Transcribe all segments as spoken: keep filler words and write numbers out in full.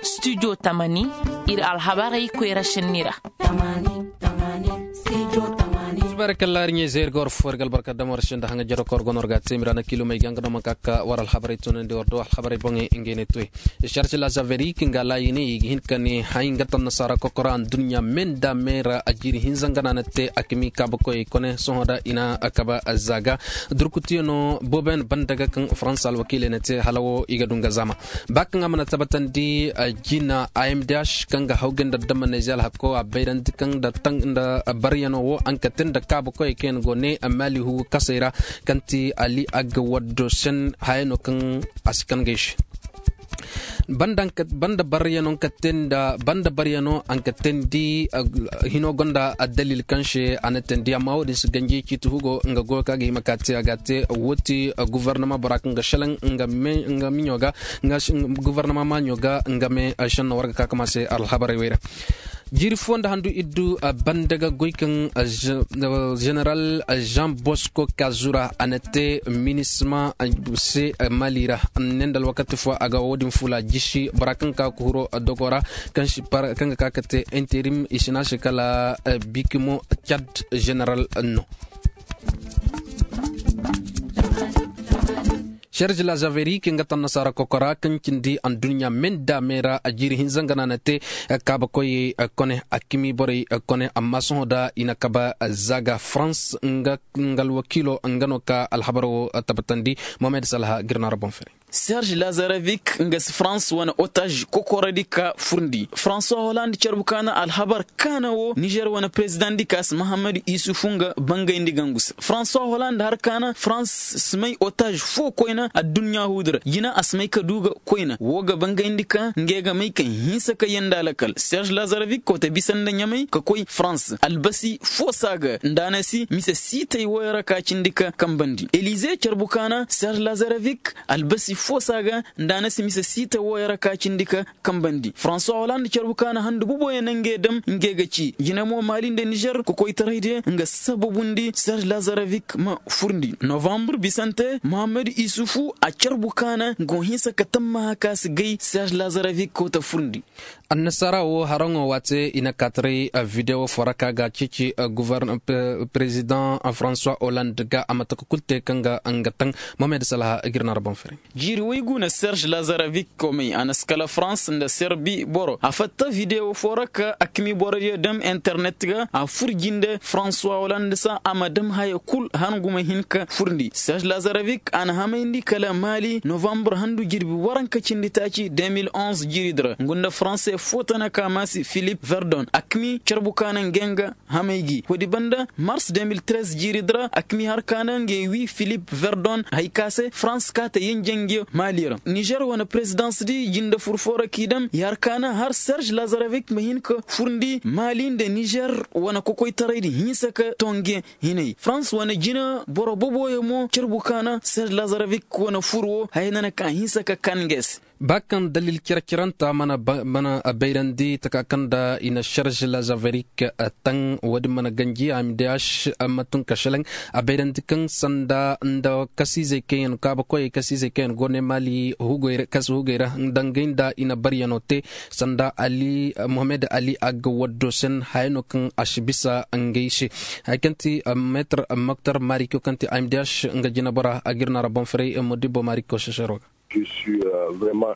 Studio tamani, ir alhabarey koyra šenni ra. Barkalla ar ɲey zayir ga war fo ir ga albarka dam war se nda haŋa jero ka war go no war ga a te mira na kilo may ga nga no ma ka ka war alhabarey tunandi war do alhabarey boŋey ngey ne toy. Sarse lazaverik nga laayiney i ga hin ka ne hay nga tan nasaara kokora adduɲɲa me nda me ra a jiiri hinza nga na na te a kami kaabakoyey kone sohõ da i na kaba zaaga. Durkutiyano boobo yaŋ banda ga kaŋ faransa alwakiiley na te hala wo i ga du nga zaama. Ba kaŋ a mana tabbatandi jina a m d h kaŋ ga hawgay nda dammaney ze alhako a bayrandi kaŋ nda baryanoo wo a nga ka te nda kaabakoyey kaŋ yaŋ go ne maali hugu kasey ra kaŋ ti ali agga waddo sen haya no kaŋ a si kangay se. Banda baryanoo nga ka te nda banda baryanoo a nga ka te nda hino gonda addalil kaŋ se a na te nda amma wo- din si ganji ciiti hugo nga goyo kaŋ a ga hima ka te a ga a te. Wo ti gofornama bora kaŋ ga selaŋ nga miɲo ga nga gofornama maaɲo ga nga me senno war ga ka kama se alhabarey wey ra. Jiiri fo nda handu iddu banda ga goy kaŋ jeneral jean bosco kazura a na te minisma se mali ra. Ne nda alwakati fo a ga wo- din fula jisi bora kaŋ ka kuhuro dogo ra kaŋ ga ka ka te interim i si na se kala bikimo cad jeneral no. Serge lazaveri kaŋ ga taŋ nasaara kokora kaŋ cindi adduɲɲa me nda me ra a jiiri hinza nga na na te kaabakoyey kone a kimiborey kone amma sohõ da i na kaba zaaga farans nga alwakiilo nga no ka alhabar wo tabbatandi. Mohamed salha girna ra boŋ fere. Serge lazarevik nga si farans wane otaj kokoradi ka furndi françois holand carbu kaana alhabar kaana wo nizer wane perezidaŋ di ka si mahammadu isufu nga bangayndi gangu se françois holand har kaana farans si may otaj fo koyna adduɲɲa huudi ra jina a si may ka du ga koyna wo ga bangayndi ka ngey ga may ka hinsa ka yanda lakal serge lazarevik kote bisa nda ɲamay ka koy farans albasi fo si a ga nda a na si mise siitay woyo ra ka cindi ka kambandi elize carbu kaana serge lazarevik albasi fo si a ga nda a na si mise siita wooyo ra ka cindi ka kambandi françois holand carbu ka na handu boboyaŋ na ngey dam ngey ga ci jina mo maali nda nizer kokoytaray diyaŋ nga sababundi serge lazarevik ma furndi novambre bisante mohamed isufu a carbu ka na go hinsa ka tammaha ka si gay serge lazarevik koota furndi. Annasaara wo haraŋo waate i na kaataray videwo fo ra ka ga ceeci perezidaŋ françois holand ga a ma taka kulu te kaŋ ga nga taŋ. Mohamed salha ga ir na ra boŋ fere. Jiiri waygu na serge lazarevik komey a na si kala farans nda serbi boro a fatta videwo fo ra ka a kami borodiyo dam internet ga a fur jinde françois holand se a ma dam haya kul hangu ma hin ka furndi serge lazarevik a na hamayndi kala maali novambre handu jirbi waranka cindi taaci deux mille onze jiiridi ra ngu nda faranse fo tana ka maasi philippe verdon a kami carbu ka na ngey nga hamay gi woodi banda mars deux mille treize jiiridi ra a kami har ka na ngey wi philippe verdon hay ka se farans ka ta yinja ngey maali ra nizer wane perezidaŋsdi jinde fur fo ra k'i dam i har ka na har serge lazarevik ma hin ka furndi maali nda nizer wane kokoytaraydi hinsa ka to ngey hinay farans wane jina boro boboyo mo carbu ka na serge lazarevik wane fur wo haya na na ka hinsa ka kan ngey se. Ba kaŋ dalil cere-cerenta mana bayrandi taka kaŋ nda i na serge lazarevik taŋ woodin mana ganji a ma di a ma tun ka selaŋ a bayrandi kaŋ sanda nda kasiizey kaŋ yaŋ kaabakoyey kasiizey kaŋ yaŋ go ne maali hugey ra dangay nda i na baryano te sanda ali mohamed ali a ga waddo sen haya no kaŋ a si bisa ngey se. Haya kaŋ ti meetar moktar mariko kaŋ ti a ma di a nga jinabora a ga ir na ra boŋ ferey modibbo mariko sesero ga.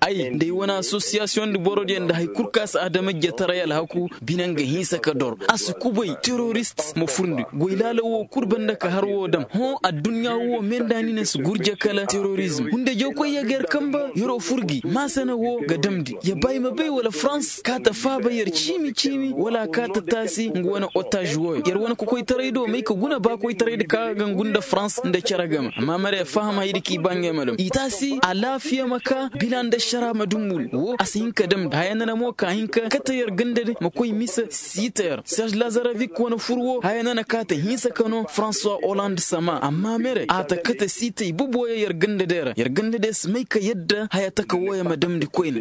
Ay nda ay wane asosiyasiyoŋ nda borodiyo nda hari kulu kaŋ a si adamajjetaray alhaku bine nga hinsa ka dor a si kubay terorist ma furndi goy laala wo kulu banda ka har wo dam hõ adduɲɲa wo me nda ni na si gurje kala terorizm hunde jawkoy ya ga yar kamba yaro furgi maasana wo ga damndi ya ba i ma bay wala farans kaata faaba yar ciimi ciimi wala a kaata taasi nga wane otaj wooyo yar wane kokoytaray do may ka guna baakoytaray da ka ga ngu nda farans nda cere game amma mara ya faham haydi k'i ba ngey ma dam i taasi alaafiya ma ka bila nda ašara ma dumbul wo a si hin ka damndi haya nana mo ka hin ka kate yar ganda de ma koy mise siita yar serge lazarevik wane fur wo haya nana ka ta hinsa ka no françois holand sama amma mere a ta kate siitay boboyo yar ganda de ra yar ganda de si may ka yadda haya taka wooyo ma damndi koyne.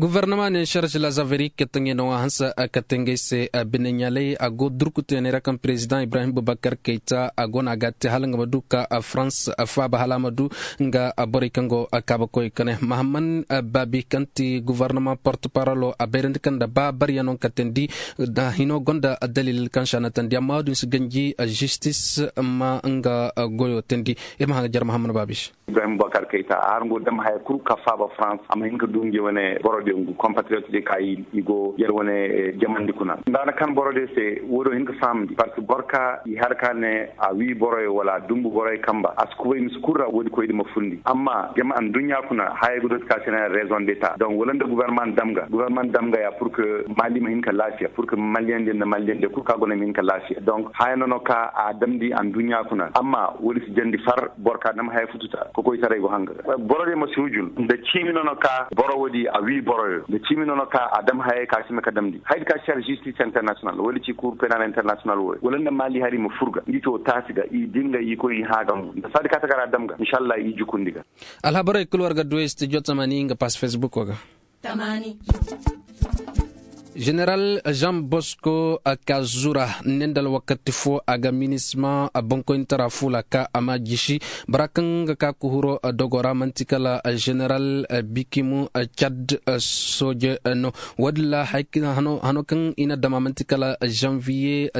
Gofornama ne sharž lazaverik ka taŋey na wa hanse a kate ngey se. Bine ɲaalay a go durku teeney ra kaŋ perezidaŋ ibrahim bubakar kayta a go no a ga a te hala nga ma du ka farans faaba hala a ma du nga borey kaŋ go kaabakoy kane mahamman baabi kaŋ ti gofornama portoparolo a bayrandi kaŋ nda ba baryaŋ no katendi. Hino gonda dalil kaŋ se a na tandi amma wo-din si ganji zistis ma nga goyo tandi. Ir ma haŋ ga jare mahamman baabi se. Ibrahim bubakar kayta a har ngo dam haya kul ka faaba farans a ma hin ka du nge wane borodiyo ngu kompatriyot diyo ka i go yer wane jamandi kuna nda na kan borodiyo se. Wo-do hin ka fahamndi park boro ka i har ka ne a wii boroyo wala a dumbu boroyo kamba a si kubay mise kul ra wo-di koydi ma fundi amma jama adduɲɲa kuna haya ga dooti ka se ne rezon deta donk wala nda gubarnama dam ga gubarnama dam ga ya pur ke mali ma hin ka laafiya pur ke maliyandiyo nda maliyandiyo kul ka go no ma hin ka laafiya donk haya no no ka a damndi adduɲɲa kuna amma wo-di si jandi far boro ka dam haya fututa kokoytaray go hanga ga boro diyo ma si hujun nda ciimi no no ka boro wo-di a wii boroyo nda ciimi no no ka a dam hayey ka si ma ka damndi haydi ka si har zistis internasiyonal wo-di ci kur penal internasiyonal wo wala nda maali hari ma fur ga ngi ci wo taasi ga i din ga i koy i hã ga mo nda saadi ka takara dam ga inšallah i jukundi ga. Alhabarey kul war ga du studio tamani nga pass facebook wo ga. General jean bosco kazura ne nda alwakati fo a ga minisma bankoyni tara fula ka a ma jisi bara kaŋ ga ka kuhuro dogo ra manti kala general bikimu cad soje no. Wo-din ra hano kaŋ i na dama manti kala janviye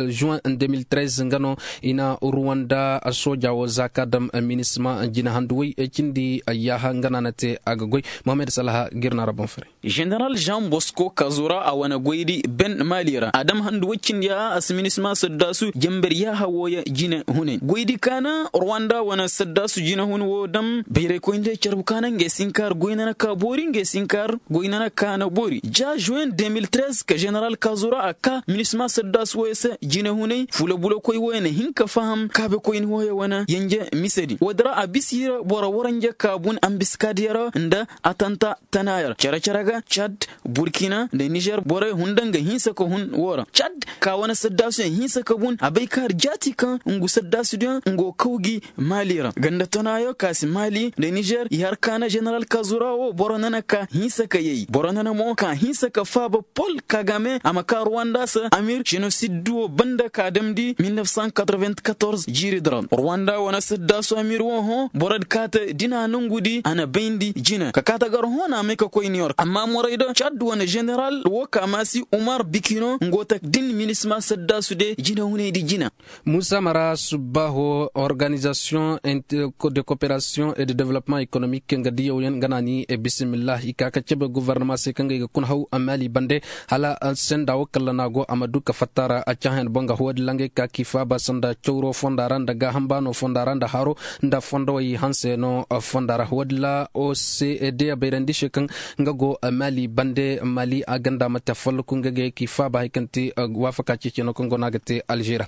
juin deux mille treize nga no i na ruwanda soja wo za ka dam minisma jina handu way cindi yaaha nga no a na te a ga goy. Mohamed salaha ga ir na ra boŋ fare. Ženeral jean bosco kazura a wane goydi ben mali ra a dam handu way cindi yaaha a si minisma saddaasu jamber yaaha wooya jine hunay goydi ka na ruwanda wane saddaasu jine hun woo dam bayraykoyndi carbu ka na ngey si hin ka har goy na na ka boori ngey si hin ka har goy na na ka na boori ja juin deux mille treize ka ženeral kazura a ka minisma saddaasu wooya se jine hunay fula bulakoy wooya na hin ka faham kaabekoyni wooya wane yanje mise din woodi ra a bisa i ra boro waranja kaabun ambiskaadiya ra nda atanta tana yer cere-cere ga cad burkina nda nizer borey hun daŋ ga hinsa ka hun woo ra cad ka wane saddaasuyaŋ hinsa ka bun a bay ka har jaati kaŋ ngu saddaasudiyaŋ ngu kaw gi mali ra ganda tana yo ka si mali nda nizer i har ka na ženeral kazura woo boro nana ka hinsa ka yay boro nana mo ka hinsa ka faaba pol kagame a ma ka ruwanda se amir jenosid woo banda ka damndi mil nef san katroven katorze jiiri diraw ruwanda wane saddaasu amir woo hõ borod kaate dina nongudi a na bayndi jina ka kaate gar hõ na a may ka koy niyork amma morayda cad wane ženeral woo ka maasi umar bikino ngo tak din minisma saddaasu de jina hunaydi jina. Muusa mara subbaho organizasiyoŋ de koperasiyoŋ et de development ekonomik nga diyawyaŋ nga na ni bisimillah i ka ka cebe gofornama se kaŋ ga i ga kuna haw a maali bande hala senda wo kalla no a go a ma du ka fatta ra a cahãyan boŋ ga huwadi langay ka k'i faaba sanda cawro fonda ra nda gaaham baano fonda ra nda haro nda fondowey hanse no fonda ra huwadi la ocd a bayrandi se kaŋ nga go mali bande mali a ganda mate a folloku nga ga ye k'i faaba hari kaŋ te waafaka ceeceno kaŋ go no a ga te alžeera.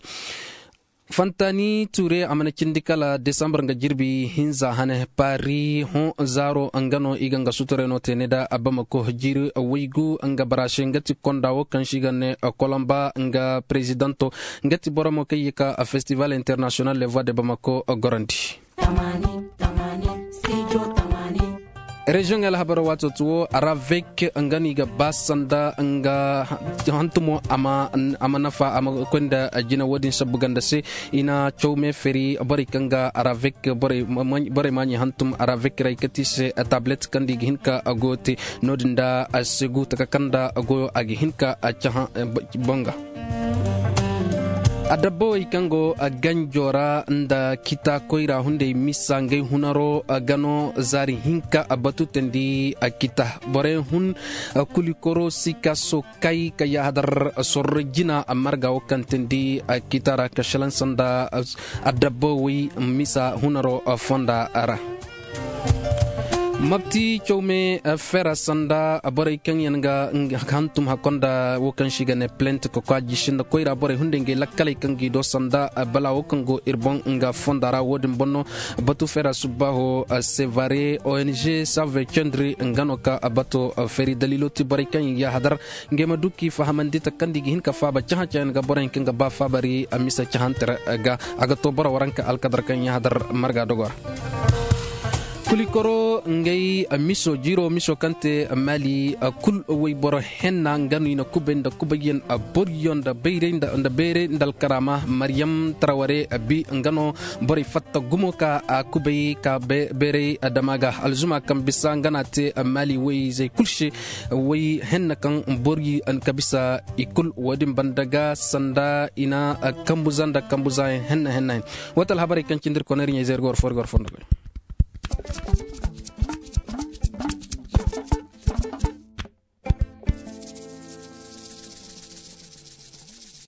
Fantani ture a mana cindi kala desambar nga jirbi hinza hane pari hõ zaaro nga no i ga nga sutureno te ne da bamako jiiri waygu nga barase nga ti konda wo kaŋ si ga ne kolomba nga perezidanto nga ti boro mo kaŋ ye ka festival international levoie de bamako gorandi. Reziyoŋey alhabaro waato ti wo aravek nga no i ga ba sanda nga hantumo a ma nafa a ma koy nda jina wo-din sabbu ganda se. I na caw me feri borey kaŋ ga aravek borey maaɲey hantum aravek ra i kati se tablet kaŋ da i ga hin ka goyo te no-din da segu taka kaŋ da goyo a ga hin ka cahã boŋ ga. Adabbawey kaŋ go ganjo ra nda kita koyra hunday misa ngey hunaro ga no zaari hinka batu teendi kita borey hun kulikoro sikaso kay ka yahadar sorro jina marga wo kaŋ teendi kita ra ka shalaŋ sanda adabbawey misa hunaro fonda ra. Mabti cawme fera sanda borey kaŋ yaŋ ga hantum hakkonda wo kaŋ si ga ne plent ka kwa jisi nda koyra borey hunday ngey lakkaley kaŋ g'i do sanda bala wo kaŋ go ir boŋ nga fonda ra wo-din boŋ no. Batu fera subbaho sevare ong save cendri nga no ka bato feri dalilo ti borey kaŋ yaŋ yahadar ngey ma du k'i fahamandi takandi ga hin ka faaba cahã-cahã yaŋ ga borey kaŋ ga ba faabari a misa cahãnter ga a ga to boro waranka alkadar kaŋ yahadar marga dogo ra. Likoro ngay miso jiro miso kaŋ te mali kul wayboro henna nga no i na kubay nda kubayyaŋ boryo nda bayray nda alkaraama maryam taraware bi nga no borey fatta gumo ka kubay ka bayray dama ga alzuma kaŋ bisa nga no a te mali wayzey kul se way henna kaŋ boryo ka bisa i kul wo- din banda ga sanda i na kambuza nda kambuzayaŋ henna henna yaŋ. Wata alhabarey kaŋ cindi ir koney ir ɲayzey ir ga war fo ir ga war fo nda goy.